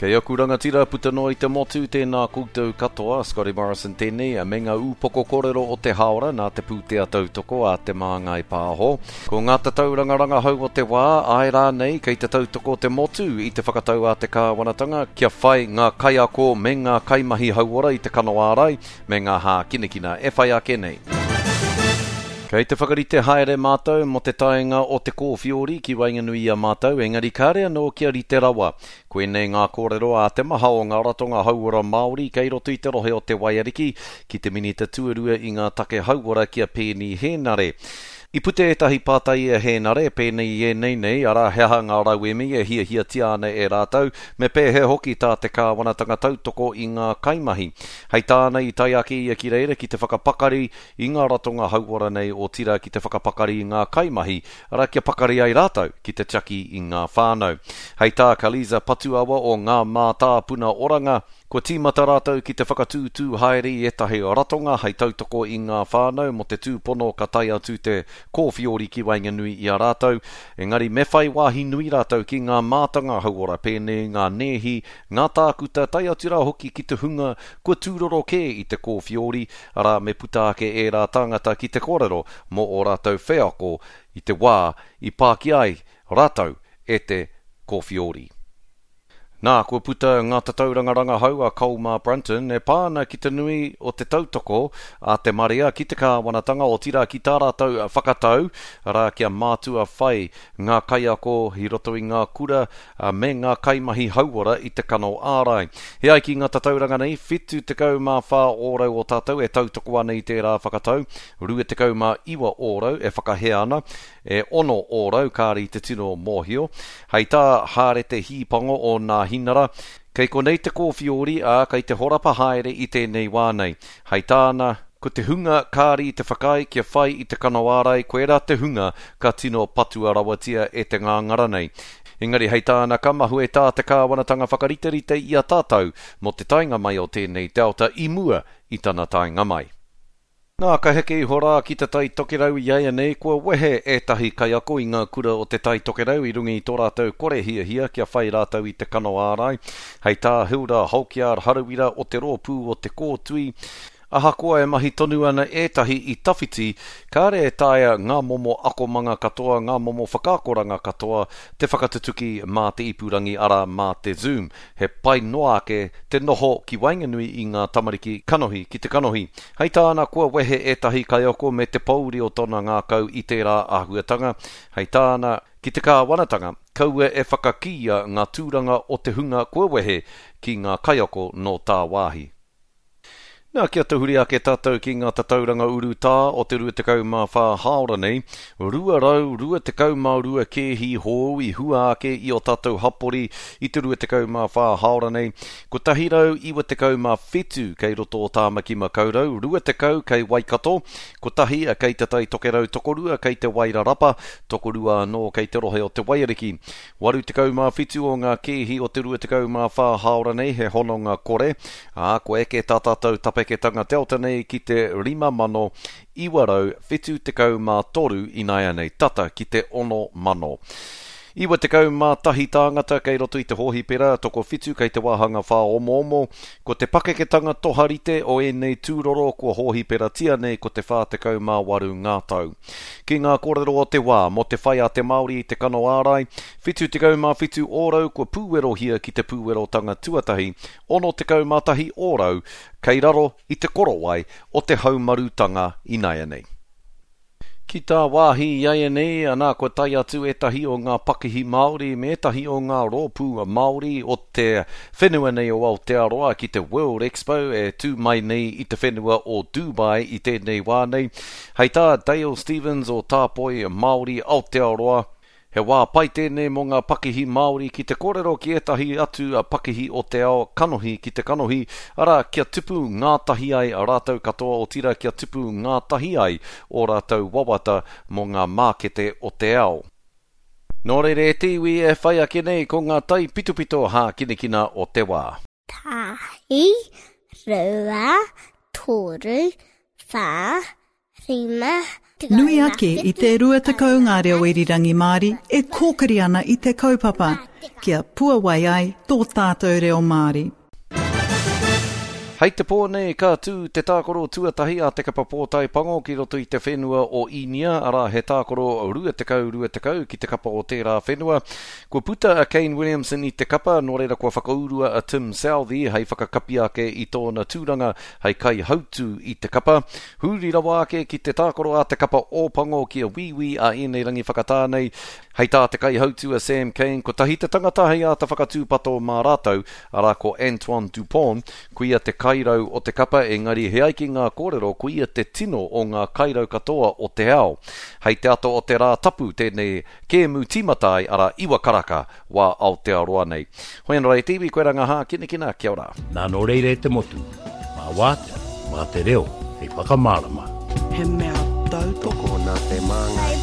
Kei aku rangatira puta noa i te motu, tēnā koutou katoa, Scotty Morrison tēnei, me ngā ūpoko kōrero o te hāora nā te pūtea tautoko a Te Māngai Pāho. Ko ngā tatauranga rangahau o te wā, āe rānei kei te tautoko te motu i te whakatau a te kāwanatanga kia whai ngā kaiako me ngā kaimahi hauora i te kano ārai me ngā hākinakina e whai ake nei. Kei te whakarite haere mātou mō te taenga o te kōwhiori ki waenganui i a mātou, engari kāre anō kia rite rawa. Koinei ngā kōrero a te maha o ngā ratonga hauora Māori kei roto i te rohe o Te Waiariki ki te Minita Tuarua i ngā take hauora ki a Peeni Hēnare. I puta ētahi pātai i a Hēnare, pēnei i ēnei nei, arā, he aha ngā rauemi e hiahiatia ana e rātou, me pēhea hoki tā te kāwanatanga tautoko i ngā kaimahi. Hei tāna i tae ake ia ki reira ki te whakapakari i ngā ratonga hauora nei otirā ki te whakapakari i ngā kaimahi, arā, kia pakari ai rātou ki te tiaki i ngā whānau. Hei tā Kaliza Patuawa o Ngā Mātāpuna Oranga, kua tīmata rātou ki te whakatūtū haere i ētahi ratonga hei tautoko i ngā whānau mō te tūpono ka tae atu te kōwhiori ki waenganui i a rātou, engari me whai wāhi nui rātou ki ngā mātanga hauora pēnei i ngā nēhi, ngā tākuta tae atu rā hoki ki te hunga kua tūroro kē i te kōwhiori, arā, me puta ake ērā tāngata ki te kōrero mō ō rātou wheako i te wā i pākia ai rātou e te kōwhiori. Nā, kua puta ngā tatauranga rangahau a Colmar Brunton e pā ana ki te nui o te tautoko a te marea ki te kāwanatanga, otirā ki tā rātou whakatau, arā, kia mātua whai ngā kaiako i roto i ngā kura me ngā kaimahi hauora i te kano ārai. E ai ki ngā tatauranga nei, 74 ōrau o tātou e tautoko ana i tērā whakatau, 29 ōrau e whakahē ana, e 6 ōrau kāre i te tino mōhio. Hei tā Hārete Hīpango o Nāhinara, Kei konei te kōwhiori, ā, kei te horapa haere i tēnei wā nei. Hei tāna, ko te hunga kāre i te whakaae kia whai i te kano ārai, koirā te hunga ka tino patua rawatia e te ngāngara nei. Engari hei tāna, ka mahue tā te kāwanatanga whakariterite i a tātou mō te taenga mai o tēnei Delta i mua i tana taenga mai. Nā, ka heke iho rā ki Te Tai Tokerau iaianei, kua wehe ētahi kaiako i ngā kura o Te Tai Tokerau i runga i tō rātou kore hiahia kia whai rātou i te kano ārai. Hei tā Hilda Halkyard Harawira o te rōpū o Te Kōtui, ahakoa e mahi tonu ana ētahi i tawhiti, kāre e taea ngā momo akomanga katoa, ngā momo whakaakoranga katoa te whakatutuki mā te ipurangi, arā, mā te Zoom. He pai noa ake te noho ki waenganui i ngā tamariki kanohi ki te kanohi. Hei tāna kua wehe ētahi kaiako me te pōuri o tōna ngākau i tērā āhuatanga. Hei tāna, ki te kāwanatanga, kaua e whakakīia ngā tūranga o te hunga kua wehe ki ngā kaiako nō tāwāhi. Nā, kia tahuri ake tātou ki ngā tatauranga urutā o te 24 hāora nei, 222 kēhi hou i hua ake i ō tātou hapori i te 24 hāora nei, 197 kei roto o Tāmaki Makaurau, 20 kei Waikato, kotahi kei Te Tai Tokerau, tokorua kei Te Wairarapa, tokorua anō kei te rohe o Te Waiariki. 87 o ngā kēhi o te 24 hāora nei he hononga kore, ā, kua eke tā tātou tapeketanga Delta nei ki te 5,973 ināianei, tata ki te 6,000. 91 tāngata kei roto i te hōhipera, tokowhitu kei te wāhanga whāomoomo. Ko te pakeketanga toharite o ēnei tūroro kua hōhiperatia nei ko te 48 ngā tau. Ki ngā kōrero o te wā mō te whai a te Māori i te kano ārai, 77 ōrau kua pūwerohia ki te pūwerotanga tuatahi, 61 ōrau kei raro i te korowai o te haumarutanga inaianei. Ki tāwāhi iaianei, ana kua tae atu ētahi o ngā pakihi Māori me ētahi o ngā rōpū Māori o te whenua nei o Aotearoa ki te World Expo e tū mai nei i te whenua o Dubai i tēnei wā nei. Hei tā Dale Stevens o Tāpoi Māori Aotearoa, He wā pai tēnei mō ngā pakihi Māori ki te kōrero ki ētahi atu pakihi o te ao kanohi ki te kanohi, arā, kia tupu ngātahi ai rātou katoa otirā kia tupu ngātahi ai ō rātou wawata mō ngā mākete o te ao. Nō reira e te iwi e whai ake nei ko ngā taipitopito hākinakina o te wā. Tahi, rua, toru, whā, rima, Nui ake i te 20 ngā reo irirangi Māori e kōkiri ana i te kaupapa. kia puawai ai tō tātou reo Māori. Hei te pō nei ka tū te tākaro tuatahi a Te Kapa Pōtae Pango ki roto i te whenua o Īnia, arā he tākaro 20 20 ki te kapa o tērā whenua. Kua puta a Kane Williamson i te kapa, nō reira kua whakaurua a Tim Southee hei whakakapi ake i tōna tūranga hei kaihautū i te kapa. Huri rawa ake ki te tākaro a te kapa Ōpango ki a Wīwī a ēnei rangi whakatā nei. Hei tā te kaihautū a Sam Cane, kotahi te tangata hei āta whakatūpato mā rātou, arā ko Antoine Dupont, koia te kairau o te kapa engari he ai ki ngā kōrero koia te tino o ngā kairau katoa o te ao. Hei te ata o te Rā Tapu tēnei kēmu tīmata ai, arā iwa karaka wā Aotearoa nei. Hoi anō rā e te iwi, koirā ngā hākinakina, kia ora. Nā nō reira e te motu, mā wātea, mā te reo hei whakamārama. He mea tautoko nā Te Māngai.